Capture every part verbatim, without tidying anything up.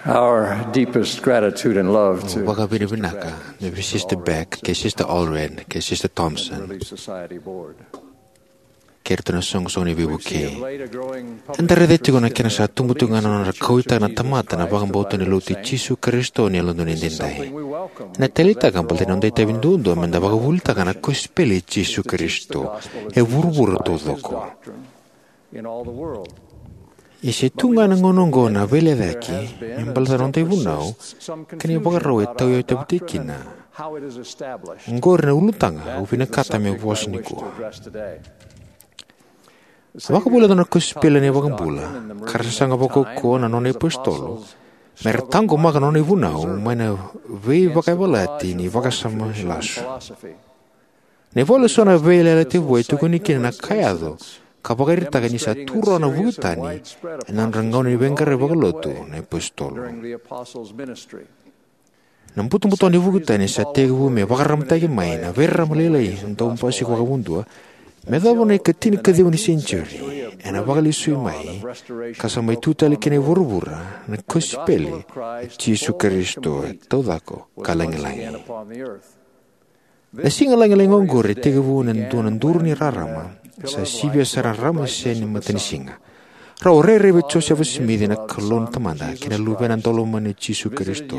Our deepest gratitude and love to vakavinavinaka me vei Sister Beck, kei Sister Allred, kei Sister Thompson, Relief Society Board. Kei iratou na soqosoqo ni veivuke. Eda raica tiko na kena sa tubu tiko ga na nodra kauwaitaka na tamata na vakabauta ni Lotu i Jisu Karisito ni Yalododonu Edaidai. Ena taleitaka baleta ni noda itavi duadua meda vakavuvulitaka na kosipeli i Jisu Karisito e vuravura taucoko. Ia se tu ga na gauna oqo na veilecayaki me baleta na noda ivunau kei na ivakarau e tauyavutaki kina. Oqori na ulutaga au vinakata me vosa nikua. A vakavuvulitaka na kosipeli na iVakabula ka ra sasaga vakaukauwa na nona iapositolo me ra taqomaka na nona ivunau mai na veivakayavalati ni vakasama lasu. Na ivola eso na Veiyalayalati Vou e tukuni kina na ka e yaco ka vakaraitaka ni sa tu rawa na vuku tani ena nodra gauna ni veiqaravi vakalotu na iapositolo. Na butobuto ni vuku tani sa tekivu me vakararamataki mai na veirarama lailai dau basika vakamuduo me yacova na ikatinikaciwa ni senitiuri, ena vakalesui mai ka sa mai tu tale ki na vuravura na kosipeli i Jisu Karisito e taucoko ka lagilagi. Na siga lagilagi oqori e tekivu ena dua na duru ni rarama sa sivia sara na rarama se ni matanisiga. Rau a rairai vei Josefa Simici na Kalou na Tamada kei na Luvena Daulomani o Jisu Karisito,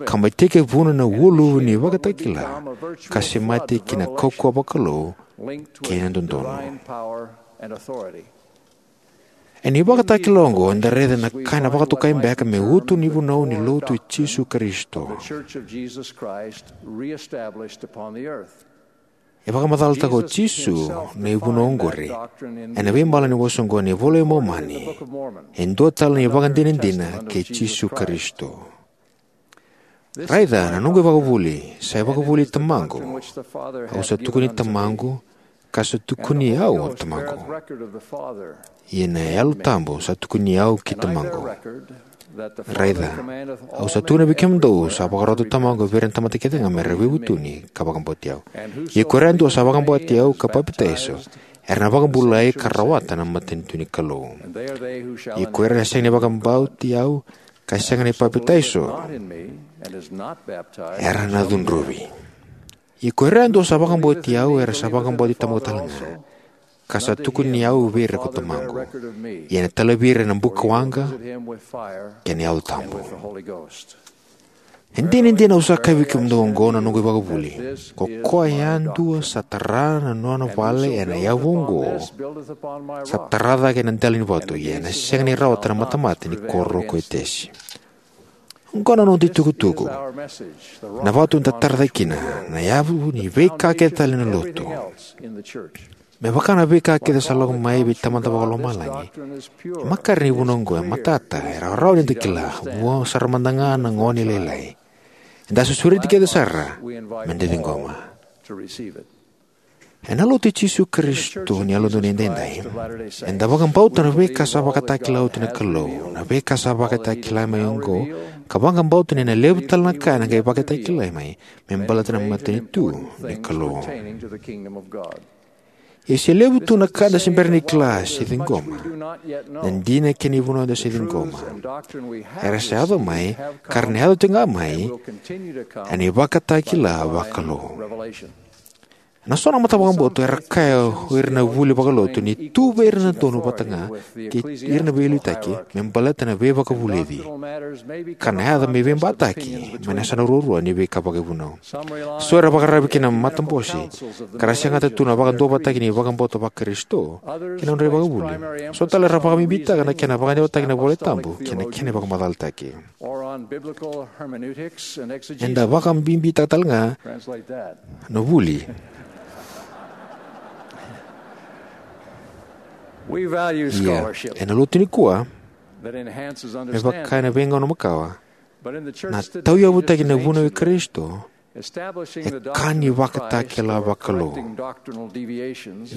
ka mai tekivuna na ualuvu ni ivakatakila ka semati ki na kaukauwa vakalou kei na dodonu. Ena ivakatakila oqo eda raica na ka ena vakatokai beka me uto ni vunau ni Lotu i Jisu Karisito. E vakamacalataka o Jisu na ivunau oqori ena veimala ni vosa oqo ena iVola i Momani, e dua tale na ivakadinadina kei Jisu Karisito. Raica na noqu ivakavuvuli sa ivakavuvuli i Tamaqu. Au sa tukuni Tamaqu, ka sa tukuni au o Tamaqu. Ia na Yalo Tabu sa tukuni au ki Tamaqu. Raica, au sa tukuna vei kemudou, sa vakarota o Tamaqu vei ira na tamata kece ga me ra veivutuni ka vakabauti au. Ia ko ira yadua sa vakabauti au ka papitaiso, era na vakabulai ka rawata na matanitu ni Kalou. Ia ko ira na sega ni vakabauti au ka sega ni papitaiso, era na cudruvi. Ia ko ira yadua sa vakabauti au era sa vakabauti Tamaqu tale ga, ka sa tukuni au vei ira ko Tamaqu. Ia ena talevi ira ena bukawaqa kei na Yalo Tabu. E dinadina au sa kaya vei kemudou oqo na noqu ivakavuvuli, ko koya yadua sa tara na nona vale ena yavu oqo, sa tara cake ena dela ni vatu, ia ena sega ni rawata na matamata ni koro ko Etesi. Oqo na noda itukutuku. Na vatu eda tara cake kina, na yavu ni veika kece tale na Lotu. Me vaka na veika kece sa lako mai vei Tamada Vakalomalagi, e makare ni vunau oqo e matata, e rawarawa ni da kila, vua sara mada ga na gone lailai. Eda sa sureti kece sara meda ciqoma. Ena Lotu i Jisu Karisito ni Yalododonu Edaidai, eda vakabauta na veika sa vakatakila oti na Kalou, na veika sa vakatakila mai oqo, ka vakabauta ni na levu tale na ka ena qai vakatakila mai me baleta na matanitu ni Kalou. Ia se levu tu na ka eda se bera ni kila se ciqoma, na dina kei na ivunau eda se ciqoma, era sa yaco mai ka ra na yaco tiko ga mai ena ivakatakila vakalou. Na so na matavakabauta era kaya o ira na vuli vakalotu ni tu vei ira na donu vata ga kei ira na veiliutaki me baleta na veivakavulici, ka na yaco me veibataki mai na yasana ruarua ni veika vakaivunau. So era vakararavi ki na matabose ka ra segata tu na vakaduavatataki ni vakabauta Vakarisito kei na nodra ivakavuvuli. So tale era vakabibitaka na kena vakadeitaki na iVola Tabu kei na kena vakamacalataki. Eda vakabibitaka tale ga na vuli. Ia, ena Lotu nikua, me vaka ena veigauna makawa, na tauyavutaki na vunau i Karisito e ka ni vakatakila vakalou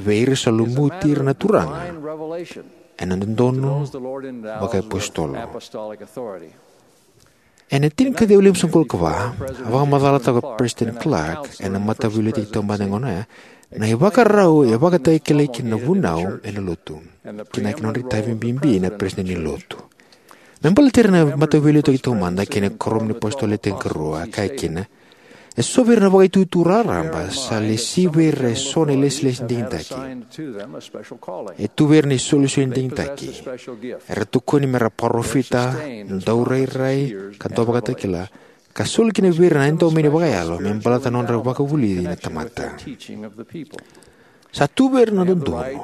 vei ira sa lumuti ira na Turaga ena dodonu vakaiapositolo. Ena tinikaciwa limasagavulu ka va, a vakamacalataka o Peresitedi Clark ena Mataveiliutaki Taubale ena gauna oya na ivakarau e vakatakilai kina na vunau ena Lotu, kei na nodra itavi bibi na Peresitedi ni Lotu. Me baleti ira na Mataveiliutaki Taumada kei na Kuoramu ni iApositolo Le Tinikarua, a kaya kina: E so vei ira na vakaitutu raraba sa lesi vei ira e so na ilesilesi digitaki. E tu vei ira na isolisoli digitaki. Era tokoni me ra parofita, daurairai, ka dauvakatakila, ka soli kina vei ira na edaumeni vakayalo me baleta na nodra vakavulici na tamata. Sa tu vei ira na dodonu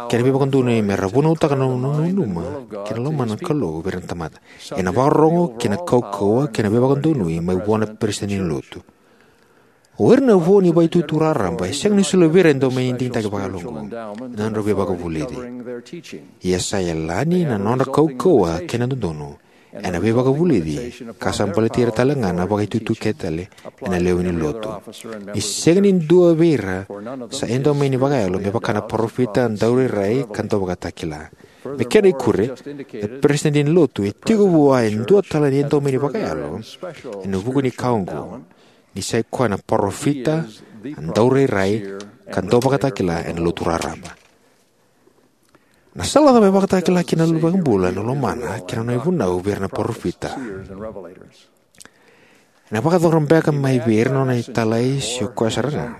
kei na veivakadonui me ra vunautaka na nona nanuma kei na lomana na Kalou vei ira na tamata ena vakarorogo kei na kaukauwa kei na veivakadonui mai vua na Peresitedi ni Lotu. O ira na vo ni vakaitutu raraba e sega ni soli vei ira na edaumeni digitaki vakayalo oqo ena nodra veivakavulici. Ia sa yalani na nodra kaukauwa kei na dodonu ena veivakavulici, ka sa baleti ira tale ga na vakaitutu kece tale ena lewe ni Lotu. Ni sega ni dua vei ira sa edaumeni vakayalo me vaka na parofita, daurairai, ka dauvakatakila. Me kena ikuri, na Peresitedi ni Lotu e tiko vua e dua tale na edaumeni vakayalo ena vuku ni ka oqo, ni sa i koya na parofita, daurairai, ka dauvakatakila ena lotu raraba. Na sala cava e vakatakila kina na iVakabula na lomana kei na nona ivunau vei ira na parofita? Ena vakayacora beka mai vei ira na nona italai se o koya sara ga?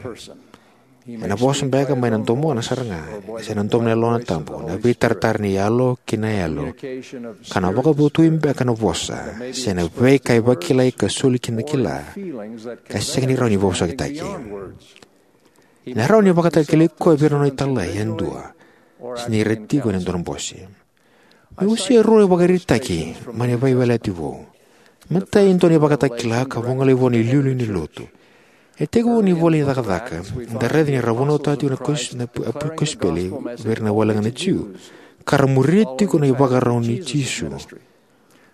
Ena vosa beka mai na domona sara ga, se na domo ni yalona tabu, na veitaratara ni yalo ki na yalo, ka na vakavotui beka na vosa se na veika e vakilai ka soli kina na kila ka sega ni rawa ni veivosakitaki? Ena rawa ni vakatakilai koya vei ira na nona italai yadua, se ni ra tiko ena dua na bose. Meu wasea e rua na ivakaraitaki mai na Veiyalayalati Vou. Matai, e dua na ivakatakila ka vagolei vua na iliuliu ni Lotu. E tekivu ena ivola ni Cakacaka, eda raica ni ra vunautaka tiko na kos-, na pu-, a pu-, kosipeli vei ira na wale ga na Jiu, ka ra muria tiko na ivakarau nei Jisu.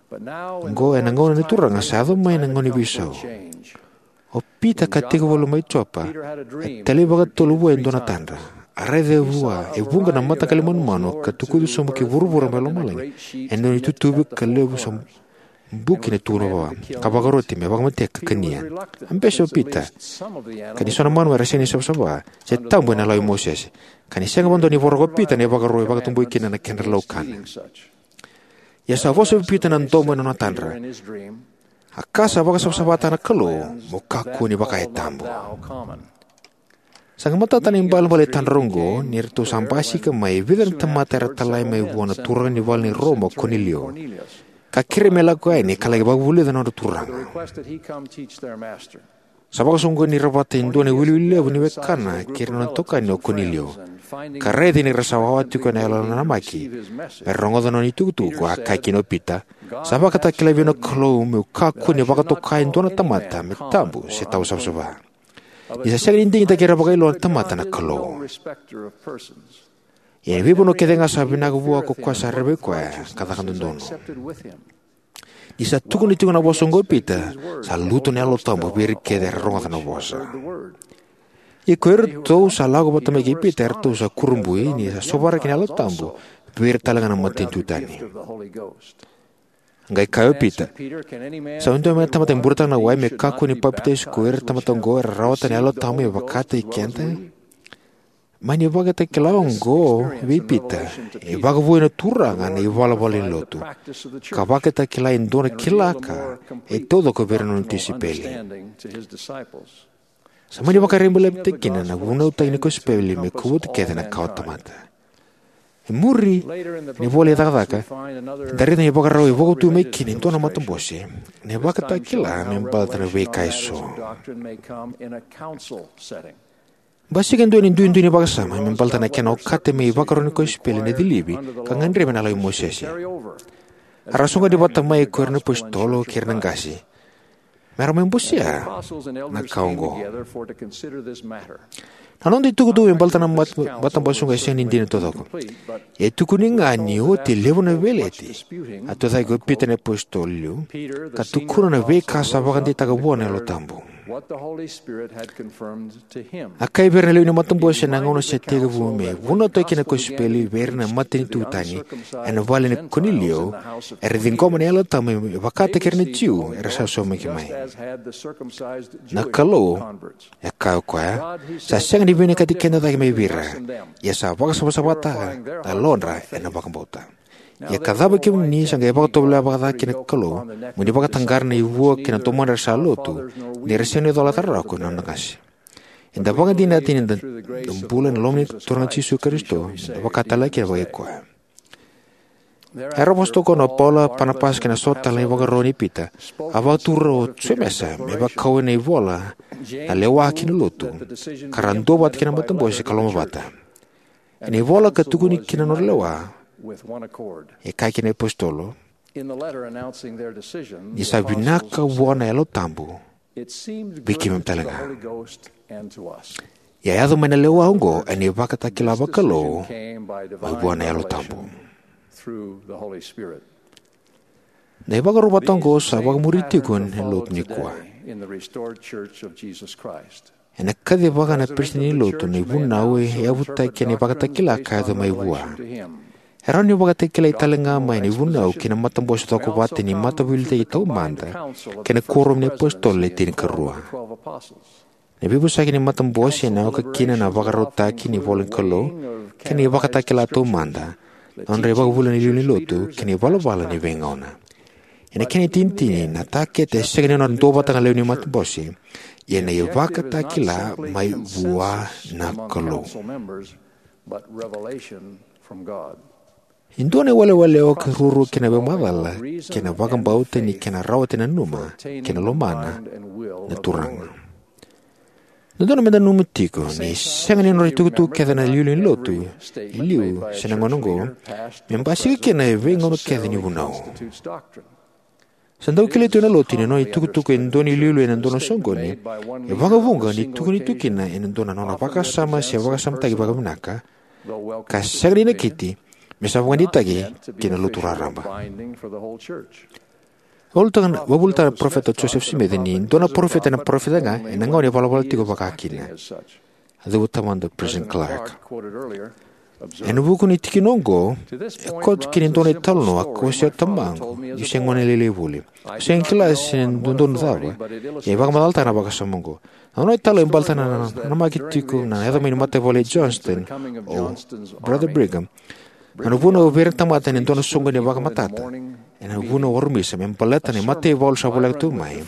Oqo ena gauna ni Turaga sa yaco mai na gauna ni veisau. O Pita, ka tekivu mai Jopa, a talai vakatolu vua e dua na tadra. A raica vua e vuqa na mataqali manumanu ka tukuci sobu ki vuravura mai lomalagi, e dua na itutuvi ka levu sa buki na tukuna vua, ka vakaroti me vakamatei ka kania. A bese o Pita, ka ni so na manu era sega ni savasava, se tabu ena lawa i Mosese. Ka ni sega vakadua ni voroka o Pita na ivakaro e vakatabui kina na kedra laukana. Ia sa vosa vei Pita na domo ena nona tadra: A ka sa vakasavasavataka na Kalou, mo kakua ni vaka e tabu. Sa qai matata na ibalebale ni tadra oqo ni ratou sa basika mai e vica na tamata era talai mai vua na turaga ni vale ni Roma o Konilio, ka kerei me lako yani ka laki vakavulica na nodra turaga. Sa vakasoqoni ira vata e dua na iwiliwili levu ni wekana kei ira na nona itokani o Konilio, ka raica ni ra sa wawa tiko ena yalo nanamaki me ra rogoca na nona itukutuku, a kaya kina o Pita: Sa vakatakilai vei au na Kalou meu kakua ni vakatoka e dua na tamata me tabu se tawa savasava. Ni sa sega ni digitaki ira vakailoa na tamata na Kalou. Ia ena veivanua kece ga sa vinaka vua ko koya sa rerevaki koya ka caka dodonu. Ni sa tukuna tiko na vosa oqo o Pita, sa lutu na Yalo Tabu vei ira kece era rogoca na vosa. Ia ko iratou sa lako vata mai kei Pita, eratou sa kurabui ni sa sovaraki na Yalo Tabu vei ira tale ga na matanitu tani. Qai kaya o Pita: Sa dua me tamata e burataka na wai me kakua ni papitaiso ko ira na tamata oqo era rawata na Yalo Tabu me vakataki keda? Mai na ivakatakila oqo vei Pita, e vakavoui na Turaga na ivalavala ni lotu, ka vakatakila e dua na kila ka e taucoko vei ira na nona tisaipeli. Sa mani vakarabailevutaki kina na vunautaki ni kosipeli me kovuti kece na kawatamata. E muri, ena ivola i Cakacaka, eda raica na ivakarau e vakauti mai kina e dua na matabose na ivakatakila me baleta na veika eso. Basika e dua na duidui ni vakasama me baleta na kena okati me ivakaro ni kosipeli na cilivi ka gadrevi ena lawa i Mosese. Era soqoni vata mai ko ira na iapositolo kei ira na qase me ra mai bosea na ka oqo. Na noda itukutuku me baleta na mat-, matabose oqo e sega ni dina taucoko. E tukuni ga ni oti e levu na veleti, a tucake o Pita na iapositolo liu, ka tukuna na veika sa vakadeitaka vua na Yalo Tabu. A kaya vei ira na lewe ni matabose ena gauna sa tekivu me vunautaki na kosipeli vei ira na matanitu tani ena vale nei Konilio, era ciqoma na Yalo Tabu me vakataki ira na Jiu era sa saumaki mai. Na Kalou, e kaya o koya, sa sega ni vinakati keda cake mai vei ira, ia sa vakasavasavataka na yalodra ena vakabauta. Ia ka cava kemuni sa qai vakatovolea vakaca kina na Kalou, mo ni vakataqara na ivua kei na domoda era sa lotu, ni ra sega ni colata rawa ko na nona qase? Eda vakadinata ni da bula ena loma ni Turaga Jisu Karisito, eda vakatalega kina vakaikoya. Era vosa toka o Paula, Panapasa kei na so tale na ivakarau nei Pita, a vakatura o Jemesa me vakau ena ivola na lewa kei na lotu, ka ra duavata kei na matabose ka lomavata. Ena ivola ka tukuni kina na nodra lewa, e kaya kina na iApositolo, ni sa vinaka vua na Yalo Tabu vei keimami tale ga. Ia a yaco mai na lewa oqo ena ivakatakila vakalou mai vua na Yalo Tabu. Na ivakaro vata oqo sa vakamuri tiko ena lotu nikua. Ena kacivaka na peresitedi ni lotu na ivunau e yavutaki ena ivakatakila ka yaco mai vua. E rawa ni vakatakilai tale ga mai na ivunau ki na matabose cokovata ni mataveiliutaki taumada kei na kuoramu ni apositolo le tinikarua. Na veivosaki ni matabose ena oka kina na vakarautaki ni ivola ni Kalou kei na ivakatakila taumada, na nodra ivakavuvuli na iliuliu ni lotu kei na ivalavala ni veigauna. Ena kena itinitini, na takete e sega ni nodra duavata ga na lewe ni matabose, ia na ivakatakila mai vua na Kalou. E dua na iwalewale e oka ruarua kina na veimacala kei na vakabauta ni kena rawati na nanuma kei na lomana na Turaga. Dodonu meda nanuma tiko ni sega ni nodra itukutuku kece na iliuliu ni lotu e liu se na gauna oqo me basika kina e veigauna kece ni vunau. Sa dau kilai tu ena lotu ni nona itukutuku e dua na iliuliu ena dua na soqoni e vakavuqa ni tukuni tu kina ena dua na nona vakasama se vakasamataki vakavinaka, ka sega ni nakiti me sa vakadeitaki ki na lotu raraba. Vakavulica na Parofita Josefa Simici ni dua na parofita ena parofita ga ena gauna e valavala tiko vaka kina. A cuva taumada o President Clark. Ena vuku ni tikina oqo, e koto kina e dua na italanoa ka wasea o tamaqu niu se gone lailai voli. Au sega ni kila se dodonu cava, ia e vakamacalataka na vakasama oqo. Na nona italanoa e baleta na nanamaki tiko na yaco mai ni mataivalu i Johnston o Brother Brigham. Na nona vunau vei ira na tamata ena dua na soqoni e vakamatata ena vunau warumisa me baleta na mataivalu sa voleka tu mai,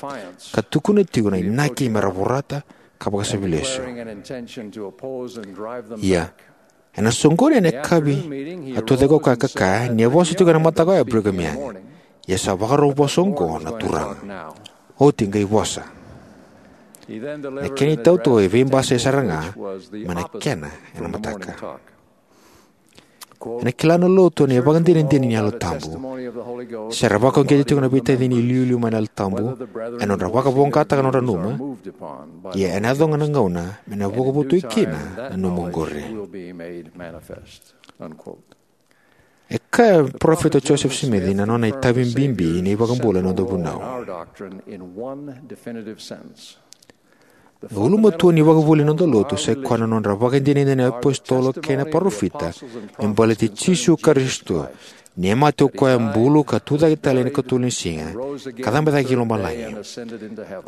ka tukuna tiko na inaki me ra vorata ka vakasavi lesu. Ia, ena soqoni ena yakavi, a tucake o koya ka kaya ni a vosa tiko ena mataka oya o Brigham Young, ia sa vakarau vosa oqo na Turaga. Oti qai vosa. Na kena itautau e veibasai sara ga mai na kena ena mataka. Ena kila na lotu na ivakadinadina ni Yalo Tabu. Se ra vakauqeti tiko na veitacini iliuliu mai na Yalo Tabu ena nodra vakavoqataka na nodra nanuma, ia ena yaco ga na gauna me na vakavotuki kina na nanuma oqori. E kaya o Parofita Josefa Simici na nona itavi bibi ni iVakabula ena noda vunau. Na ulumatua ni ivakavuvuli ni noda lotu sai koya na nodra vakadinadina na iapositolo kei na parofita me baleti Jisu Karisito, ni a mate o koya, bulu ka tucake tale ena ikatolu ni siga, ka cabe cake ki lomalagi.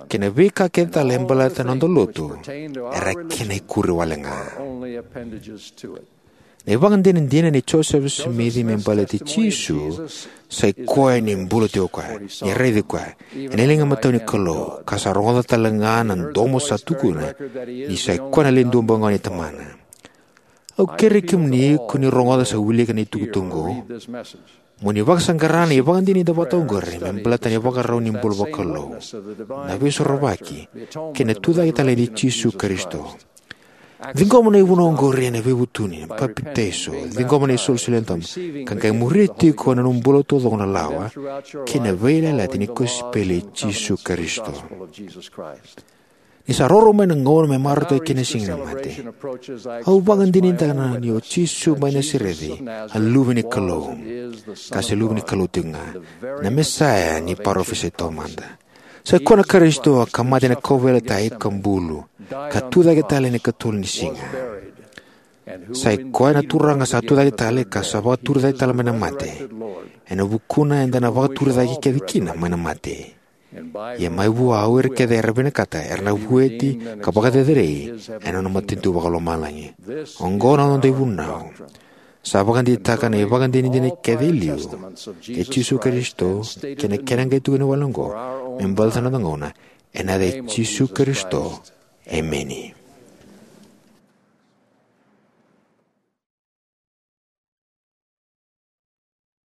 Kei na veika kece tale e baleta na noda lotu era kena ikuri wale ga. Na ivakadinadina nei Josefa Simici me baleti Jisu sai koya ni bula tiko o koya, ni raici koya ena liga imatau ni Kalou, ka sa rogoca tale ga na domo sa tukuna ni sai koya na Le Duabau Ga ni Tamana. Au kerei kemuni ko ni rogoca se wilika na itukutuku oqo mo ni vakasaqara na ivakadinadina vata oqori me baleta na ivakarau ni bula vakalou, na Veisorovaki, kei na tucake tale nei Jisu Karisito. Ciqoma na ivunau oqori ena veivutuni, papitaiso, ciqoma na isolisoli yadua, ka qai muria tiko ena nomu bula taucoko na lawa kei na veiyalayalati ni kosipeli i Jisu Karisito. Ni sa roro mai na gauna me marautaki kina na Siga ni Mate, au vakadinadinataka ni o Jisu mai Nasareci a Luve ni Kalou, ka se Luve ni Kalou tiko ga, na Mesaya ni parofisai taumada. Sai koya na Karisito ka mate ena kauveilatai ka bulu, ka tucake tale ena ikatolu ni siga. Sai koya na Turaga sa tucake tale ka sa vakaturi cake tale mai na mate, ena vukuna eda na vakaturi cake kece kina mai na mate. Ia mai vua, o ira kece era vinakata era na vueti ka vakacerecerei ena nona matanitu vakalomalagi. Oqo na noda ivunau. Sa vakadeitaka na ivakadinadina kece e liu kei Jisu Karisito kei na kena qai tukuni wale oqo me baleta na noda gauna, ena yaca i Jisu Karisito, emeni.